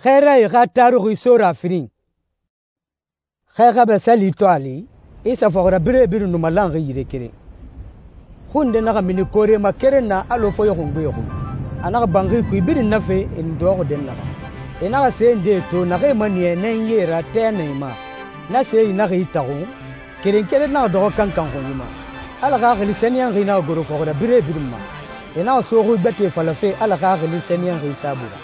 Xɛɛrae xa taruxi sora firin. Xɛ xɛmɛ sali to a li, Isa fɔxirabirɛe birin nu malanxi yire keren. Xui nde naxa mini koore ma keren na alɔ foye xungbe xui. A naxa banxi kui birin na fe e nu dɔxɔxi dɛnnaxɛ. E naxa se ndee to naxee maniya nɛnyie ra tɛ na e ma. Na see naxa itaxun, keren keren naxa dɔxɔ kankan xunyi ma. Ala Xaxili Sɛniyɛnxi naxa goro fɔxirabirɛe birin ma. E naxa so xui gbɛtɛe falafe Ala Xaxili Sɛniyɛnxi saabui ra.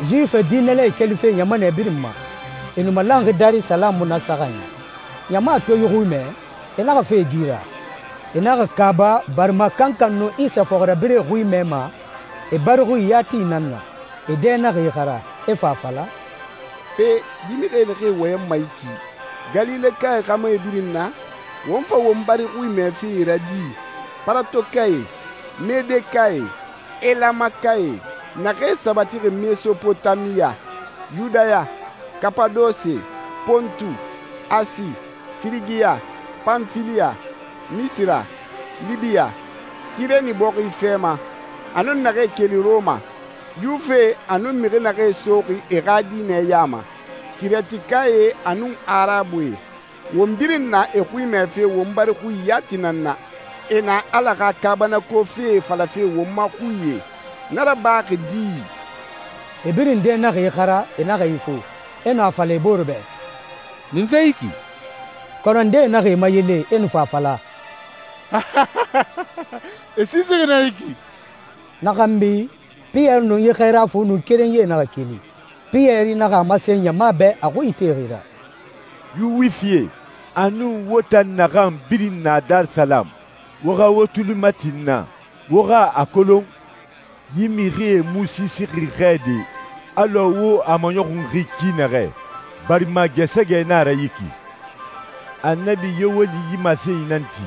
Yuwife diinɛlae kelife ɲamanɛ birin ma, e nu malanxi Darisalamu na saxan. Ɲama to yi xui mɛ, e naxa fe gira. E naxa kaaba barima kankan nu Isa fɔxirabirɛe xui mɛma, e bari xui yati nan na. E dɛ naxa ixara, e fa a fala, «Pe, yi mixie naxee wɔyɛnma yi ki, Galilekae xɛmɛe birin na, won fa won bari xui mɛfe ra di? Paratokae, Medekae, Elamakae, naxee sabatixi Mesopotamiya, Yudaya, Kapadose, Pontu, Asi, Firigiya, Panfiliya, Misira, Libiya, Sireni bɔxi fɛ ma, a nun naxee keli Roma, Yuwife a nun mixi naxee soxi e xa diinɛ ya ma, Kiretikae a nun Arabuie, won birin na e xui mɛfe won bari xui yati nan na. E na Ala xa kaabanako fee falafe won ma xuie, na rabaxi di?» E birin dɛ naxa ixara, e naxa ifo, e nu a fala e bore bɛ, «Munfe yi ki?» Kɔnɔ ndee naxa e mayele, e nu fa a fala, «E siisixi na yi ki.» Na xanbi, Piyɛri nun yi xɛɛra fu nun kerenyie naxa keli. Piyɛri naxa a masen ɲama bɛ a xui itexi ra, «Yuwifie, a nun wo tan naxan birin na Darisalamu, wo xa wo tuli mati n na, wo xa a kolon, yi mixie mu siisixi xɛ de, alɔ wo a maɲɔxunxi ki naxɛ, barima gɛsɛgɛ na a ra yi ki. Annabi Yoweli yi masenyi nan ti,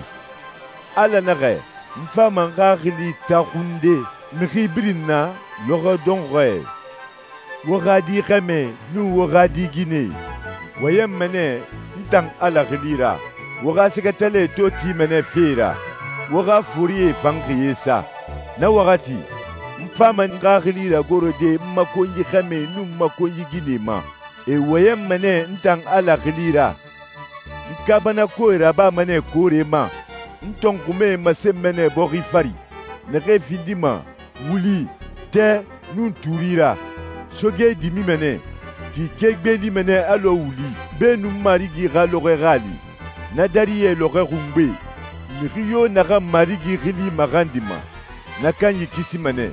Ala naxɛ, n fama n xaxili taxunde mixi birin na lɔxɔ dɔnxɔɛ. Wo xa di xɛmɛ nun wo xa di ginɛ, wɔyɛnmɛ nɛ n tan Ala xili ra. Wo xa sɛgɛtɛlɛ to timɛnɛ fe ra, wo xa forie fan xiye sa. Na waxati, n fama n xaxili ragorode n ma konyi xɛmɛ nun n ma konyi ginɛ ma. E wɔyɛnmɛ nɛ n tan Ala xili ra. N kaabanakoe rabama nɛ koore ma, n tɔnxumɛe masenmɛ nɛ bɔxi fari, naxee findima wuli, tɛ, nun tuuri ra. Soge dimimɛ nɛ, k'i ke gbeelimɛ nɛ alɔ wuli, beenun Marigi xa lɔxɔɛ xa li. Na dariyɛ lɔxɔɛ xungbe, mixi yo naxan Marigi xili maxandima, na kanyi kisima nɛ.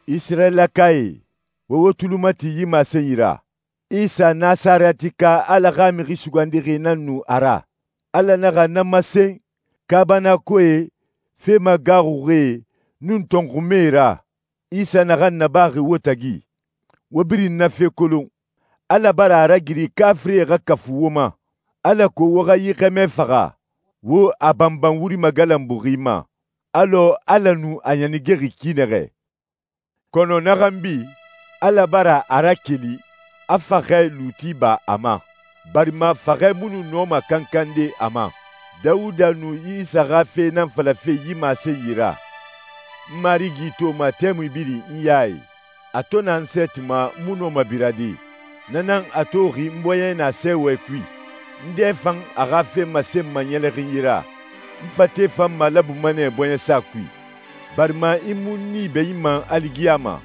Isirayilakae, wo wo tulu mati yi masenyi ra. Isa Nasaratika Ala xa mixi sugandixi nan nu a ra. Ala naxa na masen kaabanakoe, fe magaxuxie, nun tɔnxumɛe ra. Isa naxan nabaxi wo tagi, wo birin na fe kolon. Ala bara a ragiri kafirie xa kafu wo ma, alako wo xa yi xɛmɛ faxa, wo a banban wuri magalanbuxi ma, alɔ Ala nu a ɲanigexi ki naxɛ. Kɔnɔ na xanbi, Ala bara a rakeli, a faxɛ luuti ba a ma, barima faxɛ mu nu nɔma kankande a ma. Dawuda nu Isa xa fe nan falafe yi masenyi ra. N Marigi to ma tɛmui birin n ya i, a to na n sɛɛtima mu nɔma birade. Na nan a toxi n bɔɲɛ na sɛɛwɛ kui. N dɛ fan a xa fe masenma ɲɛlɛxinyi ra. N fate fan malabuma nɛ bɔɲɛsa kui, barima i mu ni bɛ i ma aligiyama.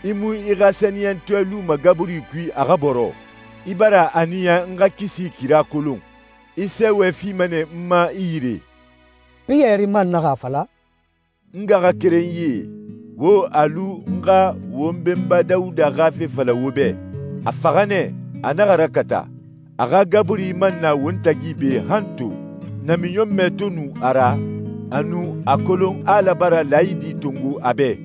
I mu i xa sɛniyɛntɔɛ luma gaburi kui a xa bɔrɔ. I bara a niya n xa kisi kira kolon. I sɛɛwɛ fima nɛ n ma i yire.» Piyɛri man naxa a fala, «N ngaxakerenyie, wo a lu n xa won benba Dawuda xa fe fala wo bɛ. A faxa nɛ, a naxa rakata. A xa gaburi man na won tagi be han to. Namiɲɔnmɛ to nu a ra, a nu a kolon Ala bara laayidi tongo a bɛ.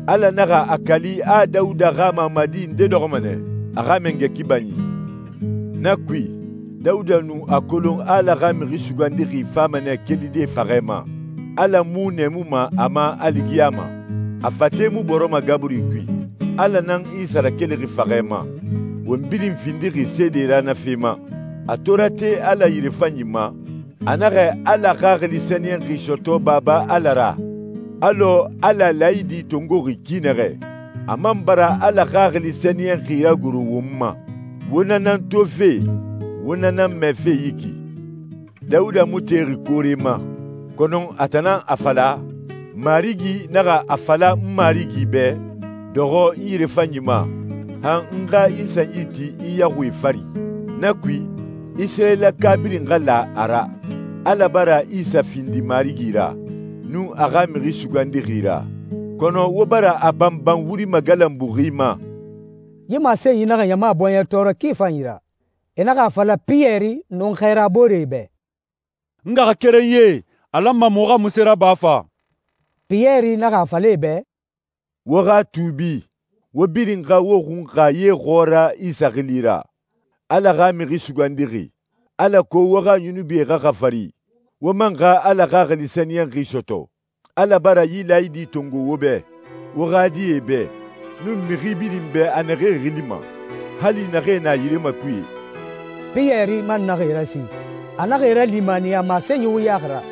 Ala naxa a kali a Dawuda xa mamadi nde dɔxɔma nɛ, a xa mangɛ kibanyi. Na kui, Dawuda nu a kolon Ala xa mixi sugandixi fama nɛ kelide faxɛ ma. Ala mu nɛɛmuma a ma aligiyama. A fate mu bɔrɔma gaburi kui. Ala nan Isa rakelixi faxɛ ma. Won birin findixi seede ra na fe ma. A tora te Ala yirefanyi ma. A naxɛ Ala Xaxili Sɛniyɛnxi sɔtɔ Baba Ala ra, alɔ Ala laayidi tongoxi ki naxɛ. a man bara Ala Xaxili Sɛniyɛnxi ragoro won ma. Wo na nan tofe, wo na nan mɛfe yi ki. Dawuda mu texi koore ma, kɔnɔ a tan nan a fala, Marigi naxa a fala n Marigi bɛ, dɔxɔ n yirefanyi ma, han n xa i sanyi ti i yaxuie fari. Na kui, Isirayilaka birin xa la a ra. Ala bara Isa findi Marigi ra, nun a xa Mixi Sugandixi ra. Kɔnɔ wo bara a banban wuri magalanbuxi ma. Yi masenyi naxa ɲama bɔɲɛ tɔɔrɔ ki fanyi ra. E naxa a fala Piyɛri nun xɛrabooree bɛ, N ngaxakerenyie, a lanma muxu xa munse raba fa? Piyɛri naxa a fala e bɛ, Wo xa tuubi, wo birin xa wo xunxa ye xɔɔra Isa xili ra, Ala xa Mixi Sugandixi, alako wo xa yunubie xa xafari, wo man xa Ala Xaxili Sɛniyɛnxi sɔtɔ. Ala bara yi laayidi tongo wo bɛ, wo xa die bɛ, nun mixi birin bɛ a naxee xilima, hali naxee na yirema kuye. Piyɛri man naxa e rasi. A naxa e ralimaniya masenyi wuyaxi ra.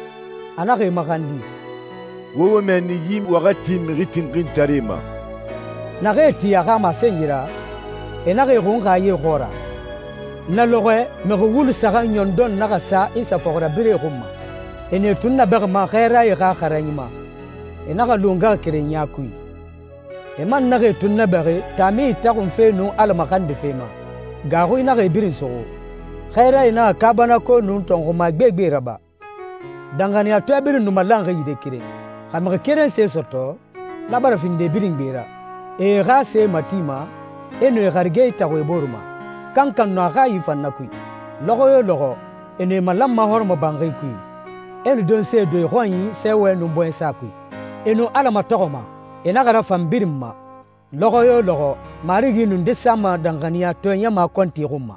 A naxa e maxandi. Wo wo mɛnni yi waxati mixi tinxintare ma. Naxa e ti a xa masenyi ra, e naxa e xunxa ye xɔɔra. Na lɔxɔɛ mixi wulu saxan ɲɔndɔn naxa sa Isa fɔxirabirɛe xun ma. E ne tun nabɛxima xɛɛrae xa xaranyi ma. E naxa lu ngaxakerenya kui. E man naxa e tun nabɛxi taami itaxunfe nun Ala maxandife ma. Gaaxui naxa e birin suxu. Xɛɛrae naxa kaabanako nun tɔnxuma gbegbe raba. Danxaniyatɔɛ birin nu malanxi yire keren. Xa mixi keren se sɔtɔ, na bara findi e birin gbe ra. E e xa se matima, e nu e xarige itaxu e boru ma. Kankan nu a xa yi fan na kui. Lɔxɔ yo lɔxɔ, e nu e malanma hɔrɔmɔbanxi kui. E nu donse do e xɔnyi sɛwɛ nun bɔɲɛsa kui. E nu Ala matɔxɔma, e naxa rafan birin ma. Lɔxɔ yo lɔxɔ, Marigi nu nde sama danxaniyatɔɛ ɲama kɔnti xun ma.